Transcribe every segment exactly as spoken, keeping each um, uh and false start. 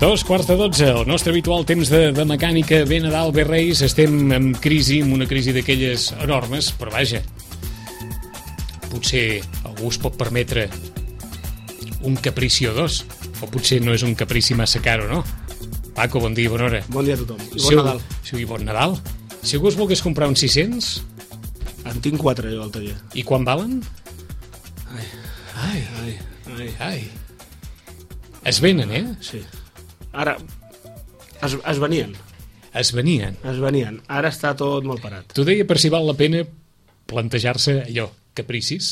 Dos quarts de dotze, el nostre habitual temps de, de mecànica, bé Nadal, bé Reis. Estem en crisi, en una crisi d'aquelles enormes, però vaja, potser algú es pot permetre un caprici o dos, o potser no és un caprici massa caro, no? Paco, bon dia, bona hora. Bon dia a tothom, i bon si Nadal. Si, bon Nadal. Si algú es volgués comprar uns sis-cents... En tinc quatre, jo, al taller. I quan valen? Ai, Ai, ai, ai. ai. Es venen, eh? Sí. Ara, es, es venien, Es venien. es venien. Ara està tot molt parat. T'ho deia per si val la pena plantejar-se allò, capricis,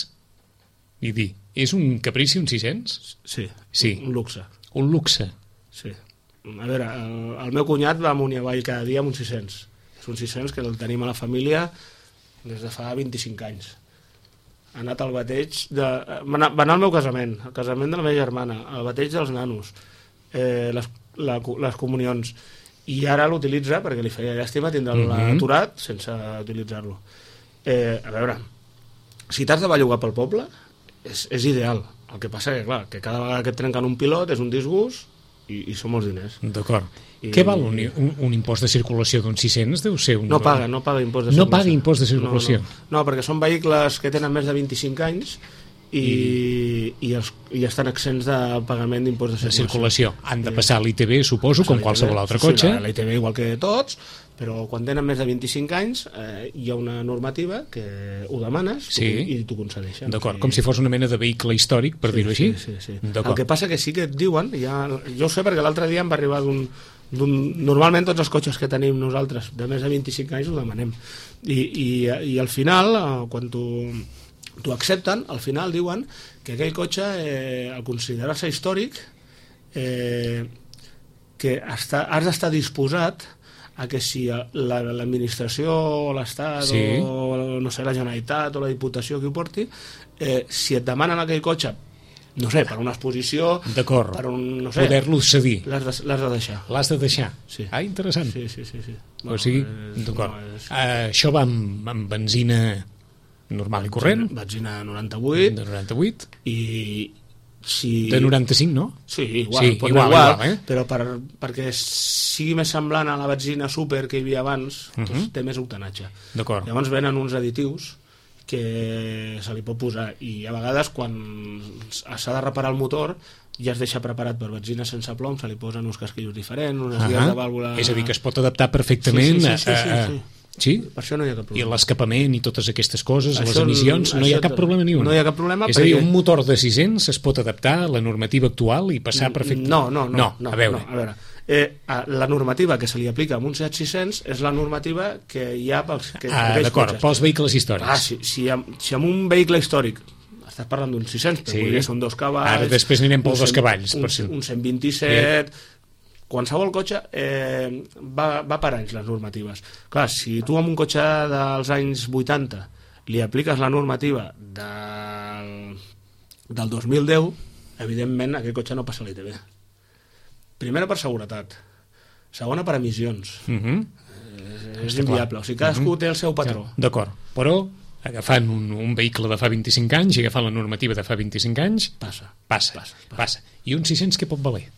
i dir, és un caprici un sis-cents? Sí, Sí. un luxe. Un luxe. Sí. A veure, el, el meu cunyat va amunt i avall cada dia amb un sis-cents. És un sis-cents que el tenim a la família des de fa vint-i-cinc anys. Ha anat al bateig de... Va anar, va anar al meu casament, al casament de la meva germana, al bateig dels nanos, eh, les, la, les comunions, i ara l'utilitza perquè li feia llàstima tindre'l Mhm. aturat sense utilitzar-lo. Eh, a veure, si t'has de bellugar pel poble, és, és ideal. El que passa que, clar, que cada vegada que et trenquen un pilot és un disgust i, i són molts diners. D'acord. I- Què val un, un, un impost de circulació d'un sis-cents? Deu ser un... No paga, no paga impost de No circulació. paga impost de circulació. No, no. no, perquè són vehicles que tenen més de vint-i-cinc anys i, i, els, i estan exents de pagament d'impost de De circulació. circulació. Han de passar l'I T B, suposo, com qualsevol altre cotxe. Sí, l'I T B igual que tots, però quan tenen més de vint-i-cinc anys eh, hi ha una normativa que ho demanes Sí. i t'ho concedeixen. D'acord, Sí. com si fos una mena de vehicle històric, per dir-ho així. Sí, sí, sí. D'acord. El que passa que sí que et diuen, ja, jo ho sé perquè l'altre dia em va arribar d'un d'un... Normalment tots els cotxes que tenim nosaltres de més de vint-i-cinc anys ho demanem. I, i, i al final, eh, quan t'ho t'ho accepten, al final diuen que aquell cotxe, eh, al considerar-se històric, eh, que està, has d'estar disposat a que si la- l'administració o l'Estat Sí. o no sé, la Generalitat o la Diputació que ho porti, eh, si et demanen aquell cotxe, no sé, per una exposició, D'acord. per un, no sé, Poder-lo cedir. l'has de, l'has de deixar. L'has de deixar. Sí. Ah, interessant. Sí, sí, sí, sí. O sigui, és- d'acord. no, és- Uh, això va amb, amb benzina normal i corrent, Benzina noranta-vuit de noranta-vuit, i si... de noranta-cinc, no? Sí, igual, Sí, pot igual, anar igual, igual, eh? però per, perquè sigui més semblant a la benzina super que hi havia abans, Mhm. doncs té més octanatge. D'acord. Llavors venen uns additius que se li pot posar i a vegades quan s'ha de reparar el motor ja es deixa preparat per benzina sense plom, se li posen uns casquillos diferents, unes Uh guies -huh. de vàlvula... És a dir, que es pot adaptar perfectament Sí, sí, sí, sí, a... sí, a- sí. Sí? Per això no hi ha cap I problema. l'escapament i totes aquestes coses, les Això- emissions, no hi ha això cap problema ni un. no hi ha cap problema És a dir, perquè- un motor de sis-cents es pot adaptar a la normativa actual i passar perfectament. No, no, no, no, no, a veure. no, a veure. Eh, a- la normativa que se li aplica a un Seat sis-cents és la normativa que hi ha pels que, Ah, aquells d'acord, cotxes. pels vehicles històrics. Ah, si, si, amb, si amb un vehicle històric estàs parlant d'un sis-cents, però Sí. sí. són dos cavalls... Ara després anirem pels un dos cent- cavalls, Un, per si- un cent vint-i-set... Qualsevol cotxe eh, va, va per anys, les normatives. Clar, si tu amb un cotxe dels anys vuitanta li apliques la normativa del, del dos mil deu, evidentment aquell cotxe no passa l'I T B. Primera per seguretat, segona per emissions. Uh -huh. És inviable, o sigui, cadascú Mhm. té el seu patró. D'acord, però agafant un, un vehicle de fa vint-i-cinc anys i agafant la normativa de fa vint-i-cinc anys, Passa. passa, passa. passa. I un sis-cents què pot valer?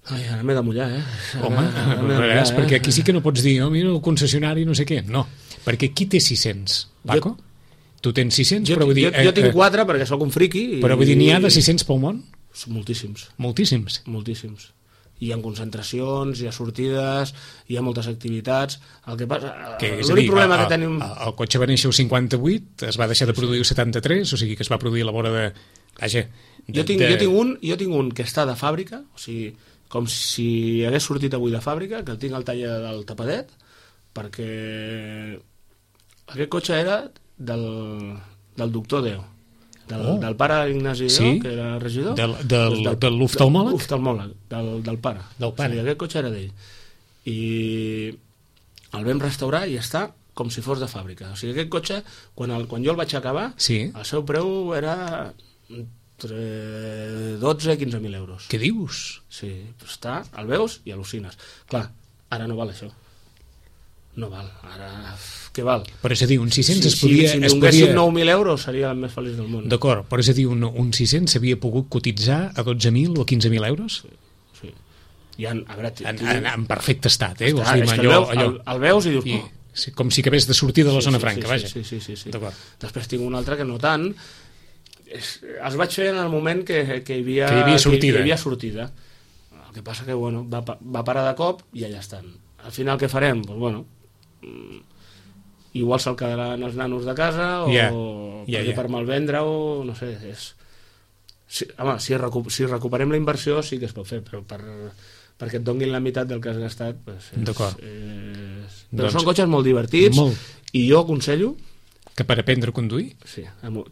Ai, ara m'he de mullar, eh? Home, Ara m'he de a veure, mullar, perquè eh? aquí sí que no pots dir, oh, mira, el concessionari no sé què. No, perquè qui té sis-cents, Paco? Tu tens sis-cents, Jo, però vull dir... jo, jo eh, tinc eh, quatre perquè sóc un friqui. I, Però vull dir, n'hi ha de sis-cents pel món? Són moltíssims, Moltíssims. moltíssims. Hi ha concentracions, hi ha sortides, hi ha moltes activitats. El que passa... Que, és a L'únic dir, problema el, que tenim... el, el cotxe va néixer el cinquanta-vuit, es va deixar de produir el setanta-tres, o sigui que es va produir a la vora de... Vaja, de, Jo tinc, de... jo, tinc un, jo tinc un que està de fàbrica, o sigui, com si hagués sortit avui de fàbrica, que el tinc al taller del tapadet, perquè aquest cotxe era del, del doctor Déu, del, Oh. del pare Ignasi Déu, Sí? que era regidor. Del- del- Doncs de l'oftalmòleg? Del, oftalmòleg, del, del pare. Del pare. O sigui, aquest cotxe era d'ell. I el vam restaurar i està com si fos de fàbrica. O sigui, aquest cotxe, quan, el, quan jo el vaig acabar, Sí. el seu preu era entre dotze i quinze mil euros. Què dius? Sí, està, el veus i al·lucines. Clar, ara no val això. No val, ara... Què val? Però és a dir, un sis-cents Si, es podia... si, si es donéssim podia... nou mil euros seria el més feliç del món. D'acord, però és a dir, un, un sis-cents s'havia pogut cotitzar a dotze mil o a quinze mil euros? hi ha, a veure, en, en, en perfecte estat, eh? Ah, és que el, veus, el, el veus i dius... I, sí, com si acabés de sortir de la sí, zona sí, franca, sí, vaja. Sí, sí, sí, sí. D'acord. Després tinc un altre que no tant. És, els vaig fer en el moment que, que, hi, havia, que hi havia sortida. Que, que hi havia sortida. El que passa que, bueno, va, va parar de cop i allà estan. Al final què farem? Doncs, bueno, igual se'l quedaran els nanos de casa o yeah. perquè yeah, yeah. per malvendre o no sé, és... Sí, home, si, recu si recuperem la inversió sí que es pot fer, però per, perquè et donguin la meitat del que has gastat pues és, d'acord. És... Però doncs, són cotxes molt divertits molt. I jo aconsello que per aprendre a conduir? Sí,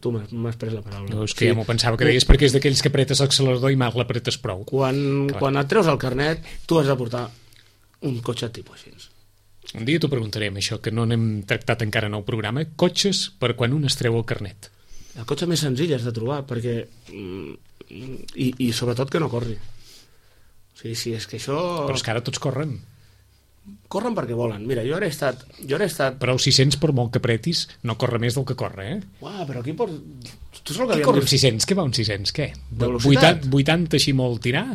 tu m'has pres la paraula. No, és que sí. ja m'ho pensava que deies, perquè és d'aquells que apretes l'accelerador i mal l'apretes prou. Quan, quan et treus el carnet, tu has de portar un cotxe tipus així. Un dia t'ho preguntarem, això, que no n'hem tractat encara en el programa. Cotxes per quan un es treu el carnet. El cotxe més senzill has de trobar, perquè... I, i sobretot que no corri. O sigui, si és que això... Però és que ara tots corren. Corren perquè volen. Mira, jo ara he estat... Jo ara he estat... Però el sis cents, per molt que apretis, no corre més del que corre, eh? Uah, però aquí por... Tu saps el que qui corre un sis cents? Què va un sis cents? Què? De velocitat? vuitanta així molt tirar?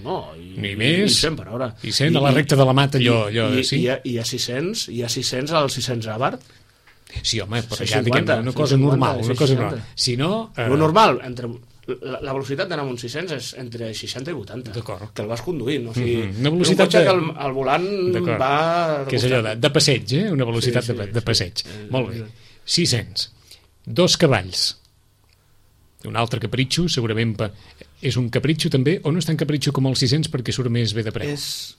No, i, ni més. I cent per hora. I cent a la recta de la Mata, allò... allò I, sí? i, i, i a sis cents, i a sis cents al sis cents Abarth. Sí, home, però ja diguem una cosa cinquanta, normal, una cosa normal. Si no... Eh... Lo normal, entre... La, la velocitat d'anar amb un sis cents és entre seixanta i vuitanta. D'acord. Que el vas conduint. O sigui, mm -hmm. Una velocitat un cotxe de... que el, el volant va... Que és allò de, de passeig, eh? Una velocitat sí, sí, de, de passeig. Sí, sí. Molt bé. sis cents. Dos cavalls. Un altre capritxo, segurament pa... és un capritxo també, o no és tan capritxo com el sis cents perquè surt més bé de preu? És...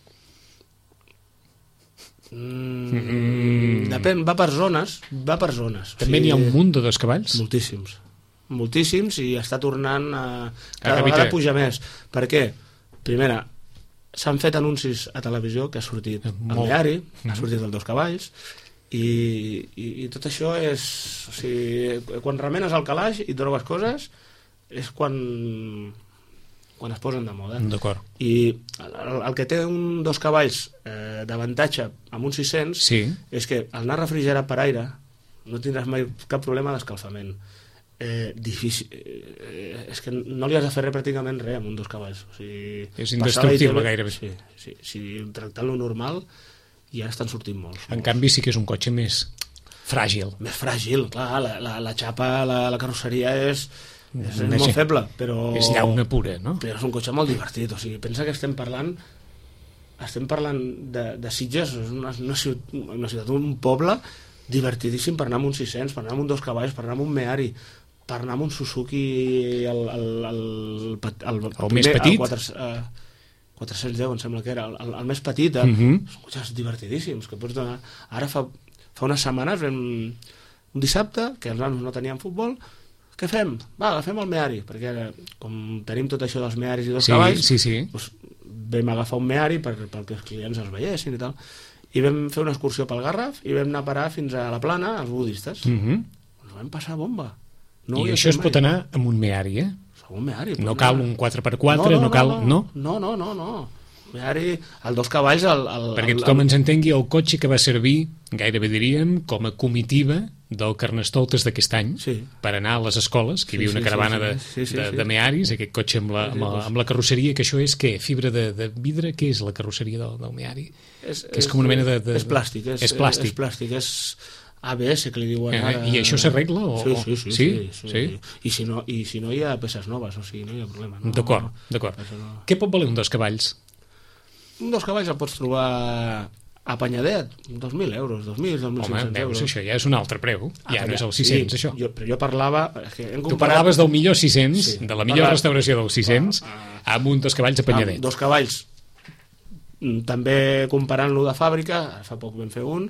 Mm, mm. Depèn, va per zones, va per zones. També o sigui, n'hi ha un munt de dos cavalls? Moltíssims. Moltíssims i està tornant a... Cada a vegada puja més. Per què? Primera, s'han fet anuncis a televisió que ha sortit el Meari, mm-hmm. ha sortit el Dos Cavalls i, i, i tot això és... O sigui, quan remenes el calaix i trobes coses és quan... quan es posen de moda. D'acord. I el, el que té un dos cavalls eh, d'avantatge amb un sis cents sí. és que al anar refrigerat per aire no tindràs mai cap problema d'escalfament. Eh, difícil, eh, és que no li has de fer res pràcticament res amb un dos cavalls. O sigui, és indestructible gairebé. Sí, sí, si tractant-lo normal ja estan sortint molts. En molts. Canvi sí que és un cotxe més fràgil. Més fràgil, clar, la, la, la xapa, la, la carrosseria és... És, és molt feble, però... És llauna pura, no? Però és un cotxe molt divertit, o sigui, pensa que estem parlant estem parlant de, de Sitges, és una, una, ciutat, una ciutat, un poble divertidíssim per anar amb un sis cents, per anar amb un dos cavalls, per anar amb un Meari, per anar amb un Suzuki el, el, el, el, el, el, el més petit? El quatre, uh, quatre-cents deu em sembla que era, el, el, el més petit, eh? Uh-huh. Són cotxes divertidíssims que pots donar. Ara fa, fa unes setmanes vam, un dissabte que els nanos no tenien futbol. Què fem? Va, agafem el Meari, perquè ara, com tenim tot això dels Mearis i dos sí, cavalls, sí, sí. Doncs vam agafar un Meari per, perquè els clients els veiessin i tal, i vam fer una excursió pel Garraf i vam anar a parar fins a la Plana, als budistes. Uh-huh. Ens vam passar bomba. No I això es mai. Pot anar amb un Meari, eh? Un Meari. No cal un quatre per quatre, no, no, no cal... No, no, no, no, no. Meari, el dos cavalls... El, el, perquè el, tothom el... ens entengui, el cotxe que va servir, gairebé diríem, com a comitiva del Carnestoltes d'aquest any, sí. Per anar a les escoles, que hi havia sí, una caravana sí, sí, sí, sí, de, de, de Mearis, aquest cotxe amb la, amb la, amb la carrosseria, que això és què? Fibra de, de vidre? Què és la carrosseria del, del Meari? És, que és com una mena de... de... És plàstic. És, és plàstic. És plàstic, és A B S, que li diuen ara... Eh, I això s'arregla? O... Sí, sí, sí. sí? sí, sí, sí. I, si no, I si no hi ha peces noves, o sigui, no hi ha problema. No, d'acord, d'acord. No... Què pot valer un dos cavalls? Un dos cavalls el pots trobar a Panyadet, dos mil euros, dos mil, dos mil cinc-cents euros. Home, això ja és un altre preu, ja ah, no és el sis cents, sí, això. Jo, però jo parlava... És que hem comparat... Tu parlaves del millor sis cents, sí, de la millor parlat... restauració del sis cents, ah, ah, amb un dos cavalls a Panyadet. Dos cavalls, també comparant-lo de fàbrica, fa poc vam fer un,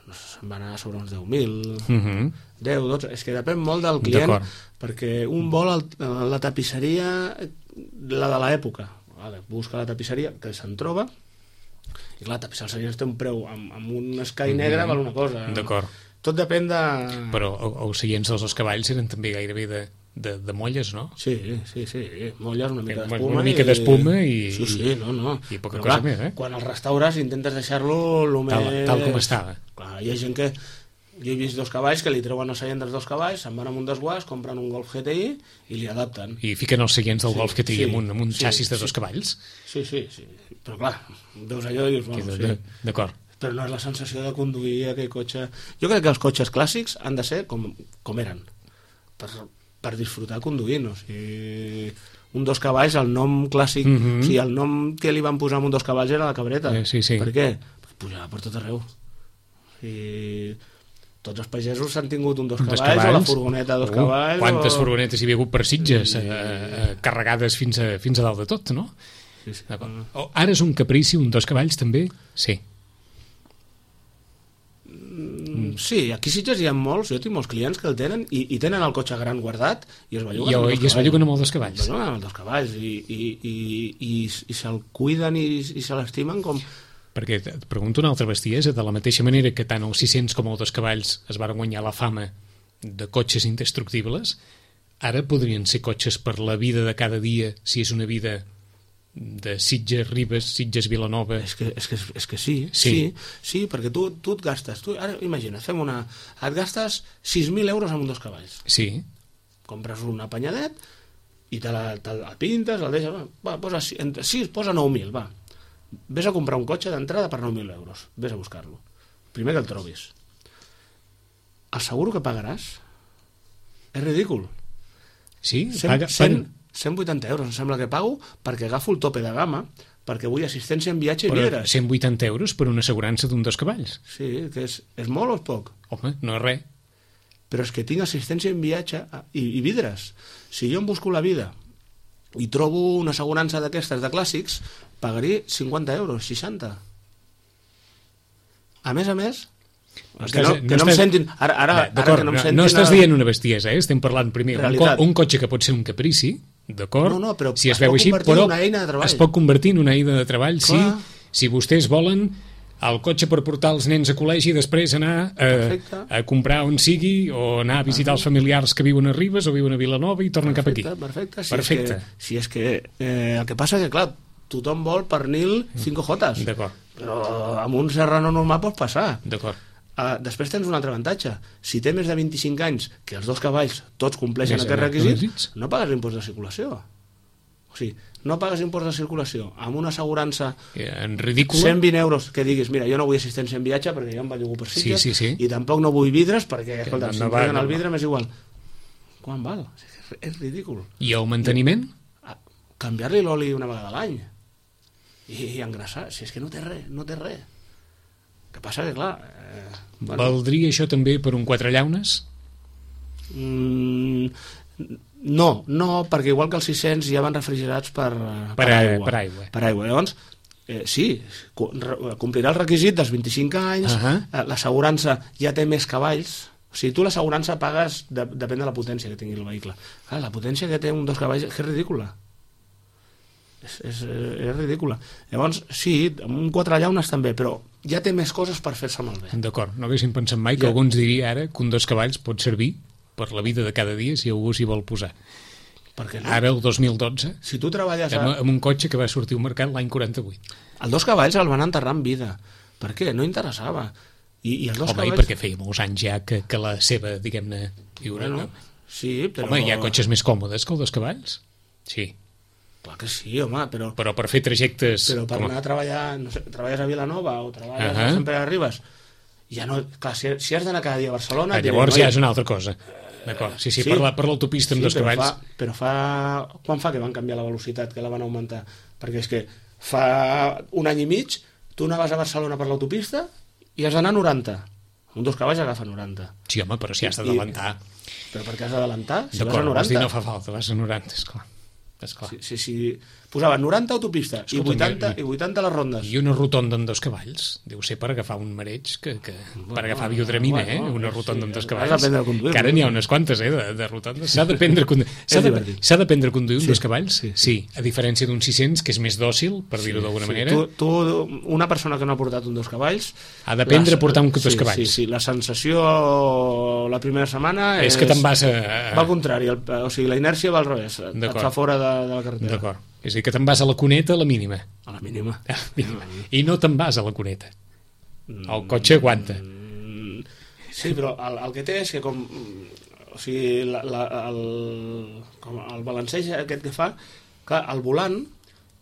se'n va anar sobre uns deu mil, uh-huh. deu, dotze... És que depèn molt del client, perquè un vol el, la tapisseria, la de l'època, busca la tapisseria, que se'n troba, i clar, tapisseria té un preu amb, amb un escai mm-hmm. negre val una cosa. D'acord. Tot depèn de... Però els seients dels dos cavalls eren també gairebé de, de, de molles, no? Sí, sí, sí, molles, una mica d'espuma. Una mica d'espuma i... Sí, sí, no, no. I poca però, cosa clar, més, eh? Quan el restaures intentes deixar-lo el tal, més... Tal com estava. Clar, hi ha gent que Jo he vist dos cavalls que li treuen el seient dels dos cavalls, se'n van amb un desguàs, compren un Golf G T I i li adapten. I fiquen els seients del sí, Golf G T I sí, amb un, amb un sí, xassis de sí, dos cavalls? Sí, sí, sí. Però clar, veus allò i dius, bueno, sí. D'acord. Però no és la sensació de conduir aquell cotxe... Jo crec que els cotxes clàssics han de ser com, com eren, per, per disfrutar conduint. O sigui, un dos cavalls, el nom clàssic, mm -hmm. o sigui, el nom que li van posar amb un dos cavalls era la cabreta. Eh, sí, sí. Per què? Pues pujava per tot arreu. I tots els pagesos s'han tingut un dos, un cavalls, dos cavalls o la furgoneta de dos uh, cavalls quantes o... furgonetes hi havia hagut per Sitges sí. eh, eh, carregades fins a, fins a dalt de tot, no? Sí, sí. Oh, ara és un caprici, un dos cavalls també? Sí. Mm, sí, aquí a Sitges hi ha molts, jo tinc molts clients que el tenen i, i tenen el cotxe gran guardat i es belluguen I, amb, i es belluguen amb els dos cavalls. Es belluguen amb els dos cavalls i, i, i, i, i se'l cuiden i, i se l'estimen com... Perquè et pregunto una altra bestiesa, de la mateixa manera que tant els sis cents com els dos cavalls es van guanyar la fama de cotxes indestructibles, ara podrien ser cotxes per la vida de cada dia, si és una vida de Sitges, Ribes, Sitges, Vilanova... És que, és que, és que sí, sí, sí, sí, perquè tu, tu et gastes, tu, ara imagina, fem una... et gastes sis mil euros amb un dos cavalls. Sí. Compres un apanyadet i te la, te la pintes, el deixes, va, posa sis, posa nou mil, va. Ves a comprar un cotxe d'entrada per nou mil euros. Ves a buscar-lo. Primer que el trobis. El seguro que pagaràs és ridícul. Sí? cent, Paga, cent, cent vuitanta euros em sembla que pago perquè agafo el tope de gamma perquè vull assistència en viatge i vidres. cent vuitanta euros per una assegurança d'un dos cavalls. Sí, que és, és molt o és poc? Home, no és res. Però és que tinc assistència en viatge i, i vidres. Si jo em busco la vida i trobo una assegurança d'aquestes de clàssics, pagaré cinquanta euros, seixanta. A més a més, estàs, que no, que no, no em sentin... Ara, ara, ara que no em sentin... No estàs dient una bestiesa, eh? Estem parlant primer un, co un cotxe que pot ser un caprici, d'acord? No, no, però si es, es veu pot així, convertir però en una eina de treball. Es pot convertir en una eina de treball, Clar. sí, si vostès volen el cotxe per portar els nens a col·legi i després anar a, a comprar on sigui o anar a visitar els familiars que viuen a Ribes o viuen a Vilanova i tornen perfecte, cap aquí. Perfecte, si perfecte. És que, si és que eh, el que passa que, clar, tothom vol pernil cinco jotes. D'acord. Però amb un serrano normal pots passar. D'acord. Uh, després tens un altre avantatge. Si té més de vint-i-cinc anys, que els dos cavalls tots compleixen aquests requisits, no pagues impost de circulació. O sigui, no pagues impost de circulació amb una assegurança en ridícula, cent vint euros que diguis, mira, jo no vull assistència en viatge perquè jo em bellugo per Sitges, sí, sí, sí. i tampoc no vull vidres perquè, escolta, no, si no em va, paguen no el vidre va. m'és igual. Quan val? És ridícul. I el manteniment? I, canviar-li l'oli una vegada a l'any i, i engrassar, si és que no té res, no té res. Que passa que, clar... Eh, bueno. Valdria això també per un quatre llaunes? Mm, no, no, perquè igual que els sis cents ja van refrigerats per, per, per, aigua. per aigua. Per aigua. Llavors, eh, sí, complirà el requisit dels vint-i-cinc anys, uh -huh. eh, l'assegurança ja té més cavalls, o sigui, tu l'assegurança pagues, de, depèn de la potència que tingui el vehicle. Clar, la potència que té un dos cavalls és ridícula. És, és, és ridícula. Llavors, sí, amb un quatre llaunes també, però ja té més coses per fer-se malbé. D'acord, no haguéssim pensat mai que ja. alguns diria ara que un dos cavalls pot servir per la vida de cada dia si algú s'hi vol posar. Per què no? Ara, el dos mil dotze, si tu treballes a... amb, amb un cotxe que va sortir al mercat l'any quaranta-vuit. El dos cavalls el van enterrar en vida. Per què? No interessava. I, i els dos Home, cavalls... i perquè feia molts anys ja que, que la seva, diguem-ne, viure, bueno, no? Sí, però... Home, hi ha cotxes més còmodes que el dos cavalls? Sí. Clar que sí, home, però... Però per fer trajectes... Però per com... anar a treballar, no sé, treballes a Vilanova o treballes uh -huh. a Sant Pere de Ribes, ja no... Clar, si, si has d'anar cada dia a Barcelona... Ah, llavors ja és una altra cosa. D'acord, sí, sí, sí, per l'autopista amb sí, dos però cavalls... Fa, però fa... Quan fa que van canviar la velocitat, que la van augmentar? Perquè és que fa un any i mig tu anaves a Barcelona per l'autopista i has d'anar a noranta. Un dos cavalls agafa noranta. Sí, home, però si has d'adelantar... Però per què has d'adelantar? Si d'acord, vas a noranta. No fa falta, vas a noranta, esclar. esclar. Sí, sí, sí. Posaven noranta autopista. Escolta, i, vuitanta, i, i vuitanta les rondes. I una rotonda amb dos cavalls. Deu ser per agafar un mareig, que, que, bueno, per agafar biodramina, bueno, eh? Una rotonda sí, amb dos cavalls. Has d'aprendre a conduir. Que ara n'hi ha unes quantes, eh, de, de rotondes. S'ha d'aprendre a conduir. S'ha d'aprendre a conduir sí, amb dos cavalls? Sí, sí. Sí, a diferència d'un sis cents, que és més dòcil, per dir-ho sí, d'alguna sí. manera. Tu, tu, una persona que no ha portat un dos cavalls... Ha d'aprendre a portar un dos sí, cavalls. Sí, sí, la sensació la primera setmana és... És que te'n vas a... Va al contrari, el, o sigui, la inèrcia va al revés. Et fa fora de, de la carretera. D'acord. És a dir, que te'n vas a la cuneta a la mínima. A la mínima. A la mínima. I no te'n vas a la cuneta. El cotxe aguanta. Sí, però el, el que té és que com... O sigui, la, la, el, com el balanceig aquest que fa, clar, el volant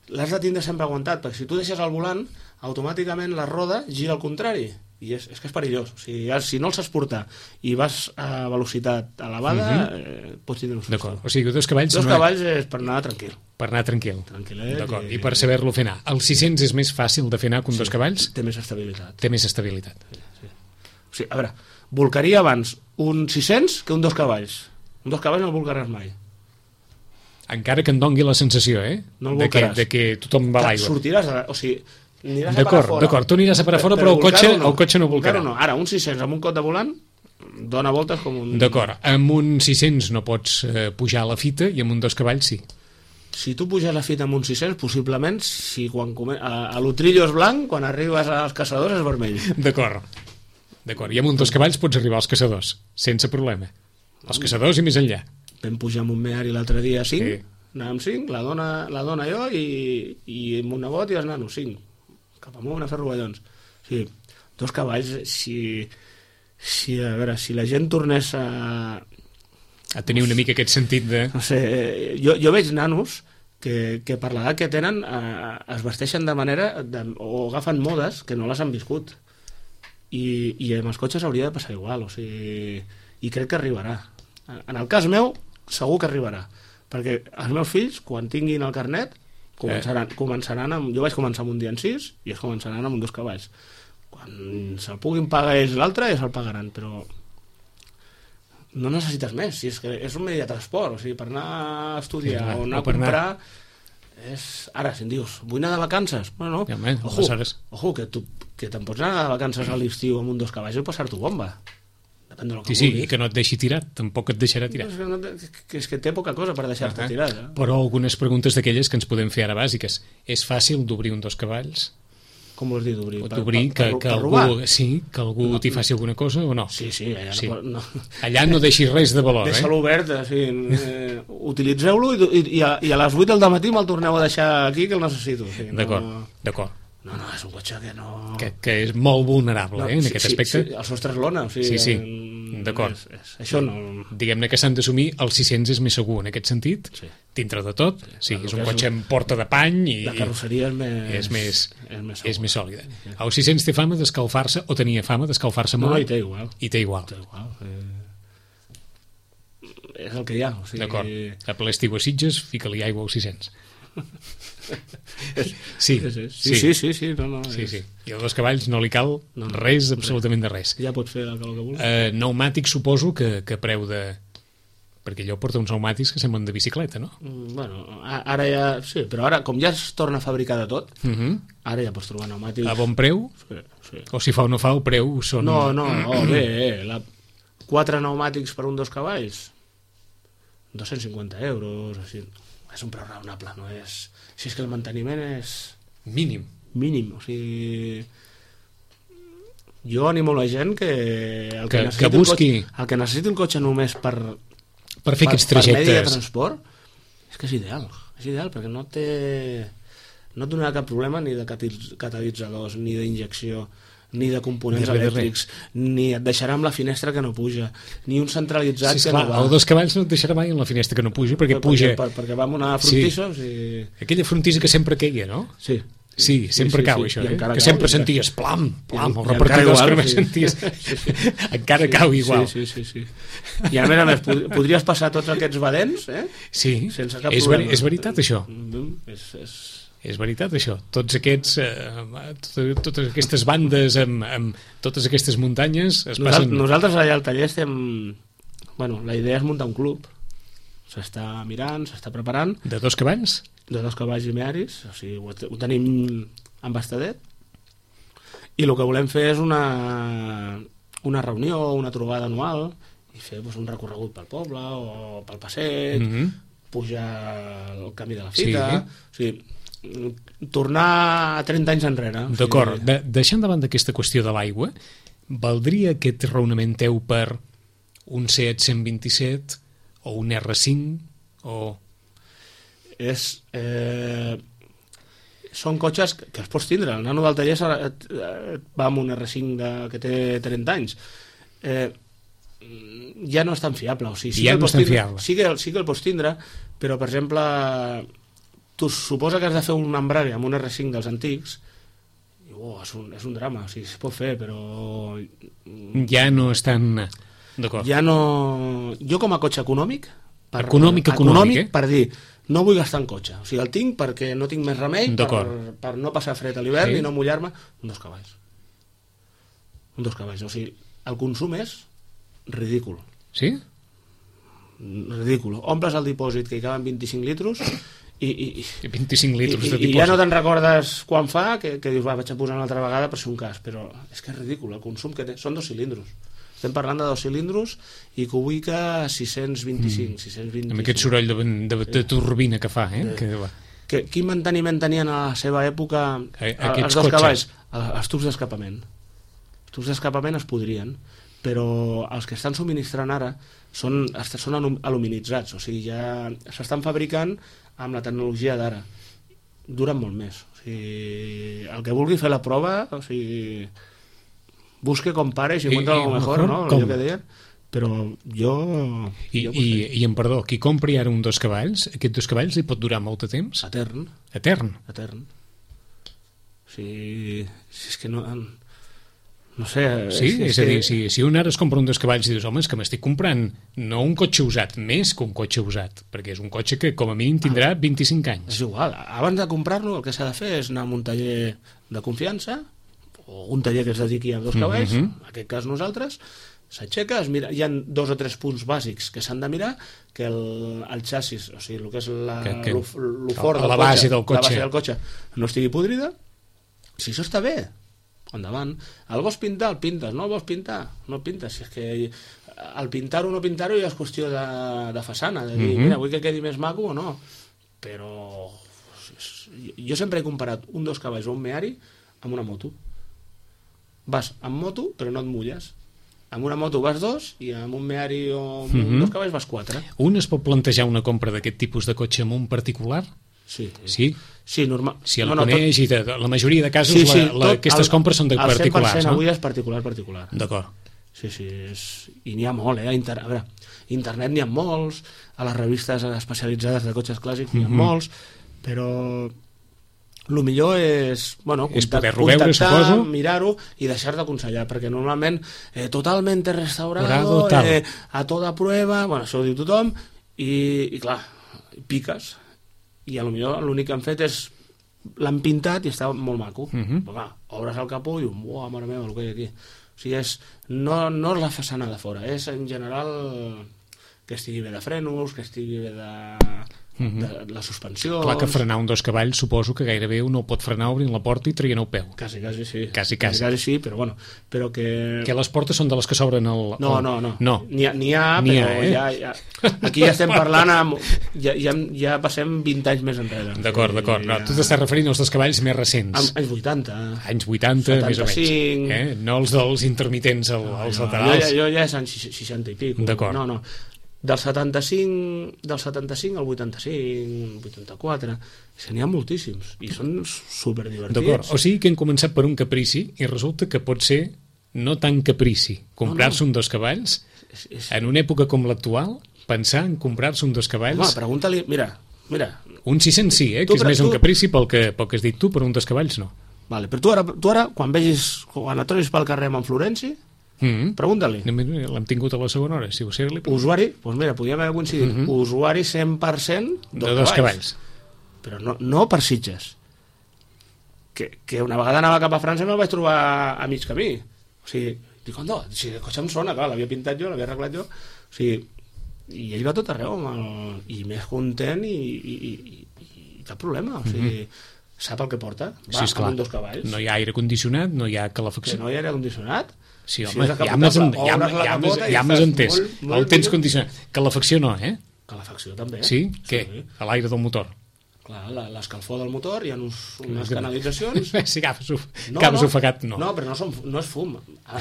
l'has de tindre sempre aguantat, perquè si tu deixes el volant, automàticament la roda gira al contrari, i és, és que és perillós. O sigui, ja, si no el saps portar i vas a velocitat elevada, uh-huh. eh, pots tindre un susto. D'acord, o sigui, dos cavalls... Dos cavalls és per anar tranquil. Per anar tranquil. Tranquil·let. D'acord, i... i per saber-lo fer anar. El sis cents és més fàcil de fer anar que un sí, dos cavalls? Té més estabilitat. Té més estabilitat. Sí, sí. O sigui, a veure, volcaria abans un sis cents que un dos cavalls. Un dos cavalls no el volcaràs mai. Encara que em dongui la sensació, eh? No el de, que, volcaràs. de que tothom va a l'aigua. Sortiràs, a, o sigui, aniràs a parar D'acord, fora. d'acord, tu aniràs a parar fora, però, però el, cotxe, no. el cotxe no volcarà. No. Ara, un sis cents amb un cot de volant dona voltes com un... D'acord, amb un sis cents no pots eh, pujar a la fita i amb un dos cavalls sí. Si tu puges la fita amb un sis cents, possiblement, si quan come... a, a l'Utrillo és blanc, quan arribes als caçadors és vermell. D'acord. D'acord, i amb un dos cavalls pots arribar als caçadors, sense problema. Els caçadors i més enllà. Vam pujar amb un Meari l'altre dia a cinc, sí. anàvem cinc, la dona, la dona jo i, i amb un nebot i els nanos, cinc. Cap amunt a fer rovellons. O sigui, dos cavalls, si, si, a veure, si la gent tornés a... A tenir una mica aquest sentit de... No sé, jo, jo veig nanos que, que per l'edat que tenen eh, es vesteixen de manera de, o agafen modes que no les han viscut. I, i amb els cotxes hauria de passar igual, o sigui, i crec que arribarà. En el cas meu, segur que arribarà, perquè els meus fills, quan tinguin el carnet, començaran, eh. començaran amb, jo vaig començar amb un dia en sis i es començaran amb un dos cavalls. Quan se'l puguin pagar ells l'altre, ja se'l pagaran, però no necessites més, si és que és un medi de transport, o sigui, per anar a estudiar sí, o anar a comprar anar... és... Ara, si em dius, vull anar de vacances, bueno, no, ja, man, ojo, ojo, que, tu, que te'n pots anar de vacances a l'estiu amb un dos cavalls i passar-t'ho bomba. Depèn del que sí, sí, vulguis. i que no et deixi tirat, tampoc et deixarà tirar. No, és, que no te, que és que té poca cosa per deixar-te uh -huh. tirar. Eh? Però algunes preguntes d'aquelles que ens podem fer ara bàsiques. És fàcil d'obrir un dos cavalls? Com vols dir d'obrir? D'obrir que, que, que algú, sí, que algú no, t'hi faci alguna cosa o no? Sí, sí, allà sí. no, no. Allà no deixis res de valor, Deixa-lo eh? obert, sí, eh, utilitzeu-lo i, i, a, i a les vuit del matí me'l torneu a deixar aquí que el necessito. Sí, d'acord, no... d'acord. No, no, és un cotxe que no... Que, que és molt vulnerable, no, eh, en sí, aquest sí, aspecte. Sí, el sostre és lona, o sigui... Sí, sí, en... d'acord. És, és, això no... Diguem-ne que s'han d'assumir, el sis cents és més segur en aquest sentit, sí. Dintre de tot, sí, sí és un cotxe amb porta de pany i... La carrosseria és més... És més, és més, és més sòlida. Sí. El sis cents té fama d'escalfar-se, o tenia fama d'escalfar-se molt? No, i té igual. I té igual. Té igual. Eh... És el que hi ha. O sigui... D'acord. A ple estiu a Sitges, fica-li aigua al sis cents. sí, sí, sí, sí, sí, sí, no, no, sí, és... sí. I a dos cavalls no li cal no, no, res, absolutament de res. Ja pots fer el que vulguis. Eh, pneumàtics suposo que, que preu de... Perquè allò porta uns pneumàtics que semblen de bicicleta, no? Mm, bueno, ara ja... Sí, però ara, com ja es torna a fabricar de tot, uh -huh. ara ja pots trobar pneumàtics... A bon preu? Sí, sí. O si fa o no fa, el preu són... No, no, oh, bé, eh, la... quatre pneumàtics per un dos cavalls, dos-cents cinquanta euros, així... És un preu raonable, no és... Si és que el manteniment és... Mínim. Mínim, o sigui... Jo animo la gent que... El que, que, que busqui... El cotxe, el que necessiti un cotxe només per... Per fer per, aquests trajectes. Per medi de transport, és que és ideal. És ideal, perquè no té... No et donarà cap problema ni de catalitzadors, ni d'injecció, ni de components ni elèctrics, ni et deixarà amb la finestra que no puja, ni un centralitzat sí, que clar, no va. El dos cavalls no et deixarà mai en la finestra que no puja, perquè puja... Per, perquè va amb una frontissa... Sí. O sigui... Aquella frontissa que sempre queia, no? Sí. Sí, sempre sí, sí, cau, sí. això, eh? Que cau, sempre i senties plam, plam, i, el repartidor que només sí. senties... Sí, sí. Encara sí, cau igual. Sí, sí, sí, sí. I a més a més, podries passar tots aquests badents, eh? Sí, sense cap és, problema. Ver, és veritat, això. És... és... És veritat, això. Tots aquests, eh, totes, totes aquestes bandes amb, amb totes aquestes muntanyes es nosaltres, passen... Nosaltres allà al taller estem... Bueno, la idea és muntar un club. S'està mirant, s'està preparant. De dos cavalls? De dos cavalls i mearis. O sigui, ho, ho tenim embastadet. I el que volem fer és una, una reunió, una trobada anual i fer doncs, un recorregut pel poble o pel passeig, mm-hmm. pujar el camí de la fita... Sí. O sigui, tornar a trenta anys enrere. D'acord, o sigui... de, deixant davant d'aquesta qüestió de l'aigua, valdria aquest raonament teu per un Seat cent vint-i-set o un erre cinc o... És, eh, són cotxes que els pots tindre. El nano del taller va amb un erre cinc de, que té trenta anys. eh, ja no és tan fiable. O sigui, sí ja que no és tan fiable. Sí que, sí que el pots tindre, però, per exemple, tu suposa que has de fer un embrari amb un erre cinc dels antics, i, oh, és, un, és un drama, o sigui, es pot fer, però... Ja no és tan... D'acord. Ja no... Jo com a cotxe econòmic... Per, econòmic, econòmic, econòmic eh? Per dir, no vull gastar en cotxe. O sigui, el tinc perquè no tinc més remei, per, per no passar fred a l'hivern, sí, i no mullar-me. Un dos cavalls. Un dos cavalls. O sigui, el consum és ridícul. Sí? Ridícul. Omples el dipòsit, que hi caben vint-i-cinc litros, i, i, i, vint-i-cinc litros i, de dipòsit. I ja no te'n recordes quan fa, que, que dius, va, vaig a posar una altra vegada per ser un cas, però és que és ridícul el consum que té. Són dos cilindros. Estem parlant de dos cilindros i que ubica sis-cents vint-i-cinc, mm. sis-cents vint-i-cinc. Amb aquest soroll de, de, de turbina que fa, eh? Que, que, quin manteniment tenien a la seva època a, els dos cavalls? Els tubs d'escapament. Els tubs d'escapament es podrien, però els que estan subministrant ara són, són aluminitzats, o sigui, ja s'estan fabricant amb la tecnologia d'ara. Duren molt més. O sigui, el que vulgui fer la prova, o sigui... busque, compare, si encuentra algo mejor, ¿no? Allò que deien. Però jo... I, jo i, i en perdó, qui compri ara un dos cavalls, aquest dos cavalls li pot durar molt de temps? Etern. Etern? Etern. O sigui, si és que no... No sé... Sí, és, és a dir, que... si, si un ara es compra un dos cavalls i dius, home, és que m'estic comprant no un cotxe usat, més que un cotxe usat, perquè és un cotxe que com a mínim tindrà vint-i-cinc anys. És igual, abans de comprar-lo el que s'ha de fer és anar a un taller de confiança, o un taller que es dediqui a dos cavalls, uh -huh. en aquest cas nosaltres, s'aixeca, es mira, hi ha dos o tres punts bàsics que s'han de mirar, que el, el xassis, o sigui, el que és la, que, que, lo, lo fort del la cotxe, base del cotxe. la base del cotxe no estigui podrida. Si això està bé, endavant. El vols pintar, el pintes, no el vols pintar, no el pintes. Si és que el pintar-ho o no pintar-ho ja és qüestió de, de façana, de dir, uh -huh. mira, vull que quedi més maco o no, però jo sempre he comparat un dos cavalls o un Meari amb una moto. Vas amb moto, però no et mulles. Amb una moto vas dos i amb un Meari o amb uh-huh. dos cavalls vas quatre. Un es pot plantejar una compra d'aquest tipus de cotxe amb un particular? Sí. Sí? Sí, normal. Si el no, no, coneix tot... i de, la majoria de casos sí, sí, la, la, aquestes el, compres són de particulars, no? El cent per cent avui és particular-particular. D'acord. Sí, sí, és... i n'hi ha molt, eh? Inter... A veure, internet n'hi ha molts, a les revistes especialitzades de cotxes clàssics n'hi ha uh-huh. molts, però... el millor és, bueno, és poder-ho veure, suposo, mirar-ho i deixar d'aconsellar, perquè normalment eh, totalment restaurado, eh, a tota prueba, bueno, això ho diu tothom, i, i clar, piques, i a lo millor l'únic que han fet és l'han pintat i està molt maco. Uh -huh. Però clar, obres el capó i dius, uah, mare meva, el que hi ha aquí. O sigui, és, no, no és la façana de fora, és en general que estigui bé de frenos, que estigui bé de... de la suspensió. Clar que frenar un dos cavalls suposo que gairebé un no pot frenar obrint la porta i traient el peu. Quasi, quasi sí. Quasi, quasi. Quasi, quasi sí, però bueno, però que... Que les portes són de les que s'obren el... No, no, no. no. N'hi ha, n'hi ha, però ha, eh? ja, ja... Aquí ja estem parlant amb... Ja, ja, ja passem vint anys més enrere. D'acord, d'acord. No, ja... Tu t'estàs referint als dos cavalls més recents. Anys vuitanta. Anys vuitanta, setanta-cinc. Més o menys. Eh? No els dels intermitents al, no, als no, laterals. Jo, jo ja és anys seixanta i pico. D'acord. No, no. Del setanta-cinc, del setanta-cinc al vuitanta-cinc, vuitanta-quatre, n'hi ha moltíssims i són superdivertits. D'acord, o sigui que hem començat per un caprici i resulta que pot ser no tan caprici comprar-se no, no. un dos cavalls és, és... en una època com l'actual, pensar en comprar-se un dos cavalls. Home, pregunta-li, mira, mira. Un sis-cents sí, eh, que és més tu... un caprici pel que, pel que has dit tu, però un dos cavalls no. Vale, però tu ara, tu ara quan vegis, quan et trobis pel carrer amb en Florenci, Mm-hmm. pregunta-li. L'hem tingut a la segona hora, si ser-li... Usuari, doncs mira, podríem haver coincidit, mm-hmm. usuari cent per cent de dos cavalls. Però no, no per Sitges. Que, que una vegada anava cap a França i me'l vaig trobar a mig camí. O sigui, dic, on no, si el cotxe em sona, clar, l'havia pintat jo, l'havia arreglat jo. O sigui, i ell va tot arreu, el, i més content i, i, i, i cap problema, o sigui... Mm-hmm. Sap el que porta, va, sí, amb dos cavalls. No hi ha aire condicionat, no hi ha calefacció. Que no hi ha aire condicionat? Sí, home, si ja m'has entès. El temps condicionat. Calefacció no, eh? Calefacció també. Sí? Què? Sí. A l'aire del motor. Clar, l'escalfor del motor, hi ha uns, unes canalitzacions... Si agafes, no, agafes no, ofegat, no. No, però no, són, no és fum. Ah,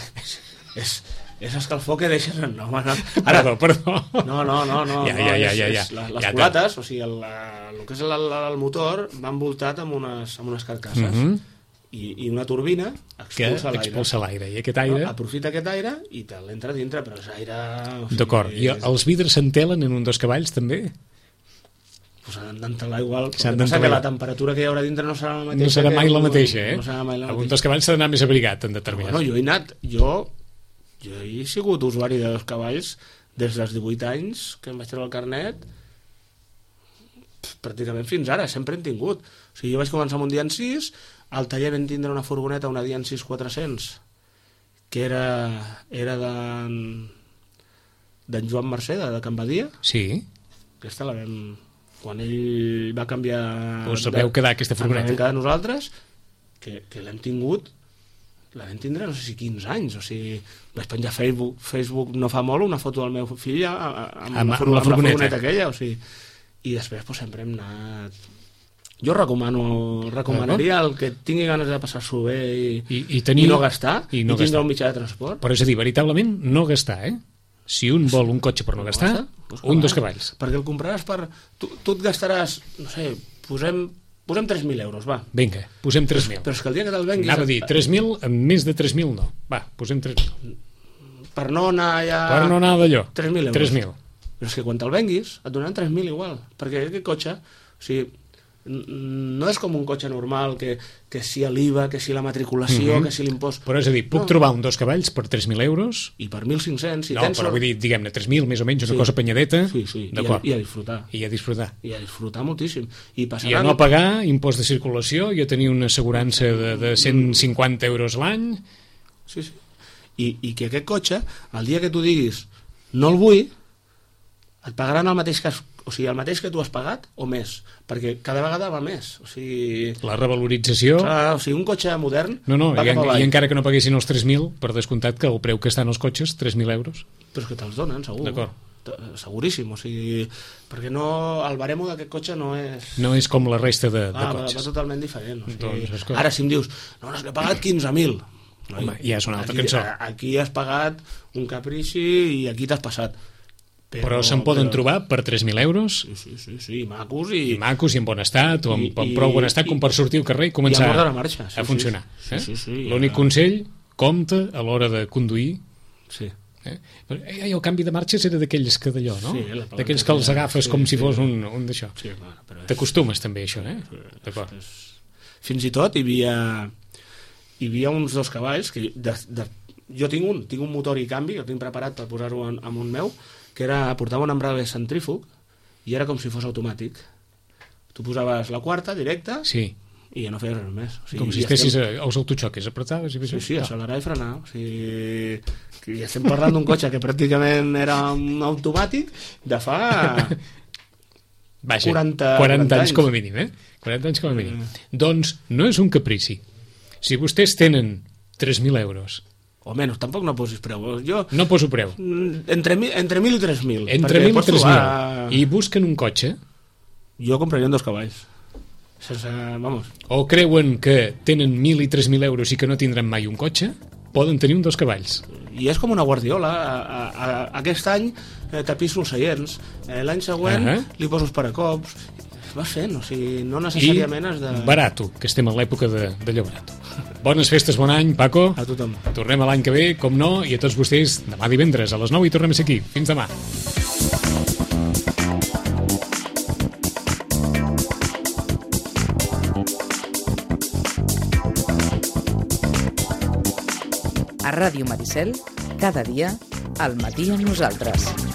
és, és escalfor que deixes... No, no. Ara, perdó, perdó. No, no, no. no, ja, ja, ja, ja, ja. És, és, les ja culates, o sigui, el, el que és el, el motor va envoltat amb unes, amb unes carcasses. Mm-hmm. i, i una turbina expulsa l'aire. expulsa l'aire. I aquest aire... No, aprofita aquest aire i te l'entra dintre, però és aire... O sigui, d'acord. I els vidres s'entelen en un dos cavalls, també? Pues s'han d'entelar igual. El que passa que la temperatura que hi haurà dintre no serà la mateixa. No serà mai la mateixa, eh? No serà mai la mateixa. A un dos cavalls s'ha d'anar més abrigat, en determinat. Bueno, jo he anat... Jo, jo he sigut usuari de dos cavalls des dels divuit anys, que em vaig treure el carnet, pràcticament fins ara, sempre hem tingut. O sigui, jo vaig començar amb un Dian sis, al taller vam tindre una furgoneta, una Dian sis quatre-cents, que era, era d'en d'en Joan Mercè, de Can Badia. Sí. Aquesta la vam... Quan ell va canviar... Us vau quedar aquesta furgoneta? Ens vam quedar nosaltres, que, que l'hem tingut, la vam tindre no sé si quinze anys, o sigui, vaig penjar a Facebook, Facebook no fa molt, una foto del meu fill amb, amb, amb, la, furgoneta. amb la furgoneta aquella, o sigui, i després pues, sempre hem anat... Jo recomano, recomanaria el que tingui ganes de passar-s'ho bé i, I, i, tenir, i no gastar, i, no i tindre gastar. un mitjà de transport. Però és a dir, veritablement no gastar, eh? Si un vol un cotxe per no gastar, pues un dos cavalls. Perquè el compraràs per... Tu, tu et gastaràs, no sé, posem, posem tres mil euros, va. Vinga, posem tres mil. Però és que el dia que te'l venguis... Anava a dir, tres mil, amb més de tres mil no. Va, posem tres mil. Per no anar ja... Per no anar d'allò. tres mil euros. tres mil. Però és que quan te'l venguis et donaran tres mil igual, perquè aquest cotxe, o sigui, no és com un cotxe normal que, que si l'I V A, que si la matriculació, mm-hmm. que si l'impost... Però és a dir, puc no. trobar un dos cavalls per tres mil euros? I per mil cinc-cents, si no, tens... No, però vull dir, diguem-ne, tres mil, més o menys, una sí. cosa penyadeta. Sí, sí, I a, i a disfrutar. I a disfrutar. I a disfrutar moltíssim. I, passaran... I a no pagar impost de circulació, i a tenir una assegurança de, de cent cinquanta euros l'any. Sí, sí. I, I que aquest cotxe, el dia que tu diguis no el vull, et pagaran el mateix que has, o sigui, el mateix que tu has pagat o més, perquè cada vegada va més, o sigui... La revalorització... Clar, o sigui, un cotxe modern... No, no, va i, cap en, i encara que no paguessin els tres mil, per descomptat que el preu que estan els cotxes, tres mil euros. Però és que te'ls donen, segur. D'acord. Seguríssim, o sigui... Perquè no, el baremo d'aquest cotxe no és... No és com la resta de, de ah, cotxes. Va, va totalment diferent. O sigui, doncs, ara, si em dius, no, no, és que he pagat quinze mil. No, home, ja és una altra aquí, cançó. Aquí has pagat un caprici i aquí t'has passat. Però, però se'n poden però... trobar per tres mil euros? Sí, sí, sí, sí, macos i... I macos i en bon estat, o amb, I, amb prou bon estat com per sortir al carrer i començar i a, marxa, sí, a funcionar. Sí, eh? sí, sí, sí, l'únic ja... consell, compte a l'hora de conduir. Sí. Eh? Eh, el canvi de marxes era d'aquells que d'allò, no? Sí, d'aquells que els agafes sí, com sí, si fos un, un d'això. Sí, clar, però... T'acostumes també a això, eh? D'acord. Fins i tot hi havia, hi havia uns dos cavalls que de, de, jo tinc un, tinc un motor i canvi, el tinc preparat per posar-ho en, en un meu, que era, portava un embrague centrífug i era com si fos automàtic. Tu posaves la quarta directa sí. i ja no feies res més. O sigui, com si estessis estem... als autoxoques, apretaves i sí, sí, accelerar i frenar. O sigui, que ja estem parlant d'un cotxe que pràcticament era un automàtic de fa Vaja, quaranta, quaranta anys com a mínim, eh? quaranta anys com a mínim. Mm. Doncs no és un caprici. Si vostès tenen tres mil euros o menys, tampoc no posis preu. Jo, no poso preu. Entre, entre mil i tres mil. Entre mil i tres mil. I busquen un cotxe? Jo compraria dos cavalls. Sense, vamos. O creuen que tenen mil i tres mil euros i que no tindran mai un cotxe? Poden tenir un dos cavalls. I és com una guardiola. A, a, a, aquest any eh, tapisso els seients. Eh, L'any següent uh -huh. li poso els paracops. Vas fent, o sigui, no necessàriament has de... I barato, que estem en l'època de, d'allò barat. Bones festes, bon any, Paco. A tothom. Tornem a l'any que ve, com no, i a tots vostès demà divendres a les nou i tornem a ser aquí. Fins demà. A Ràdio Maricel, cada dia, al matí amb nosaltres.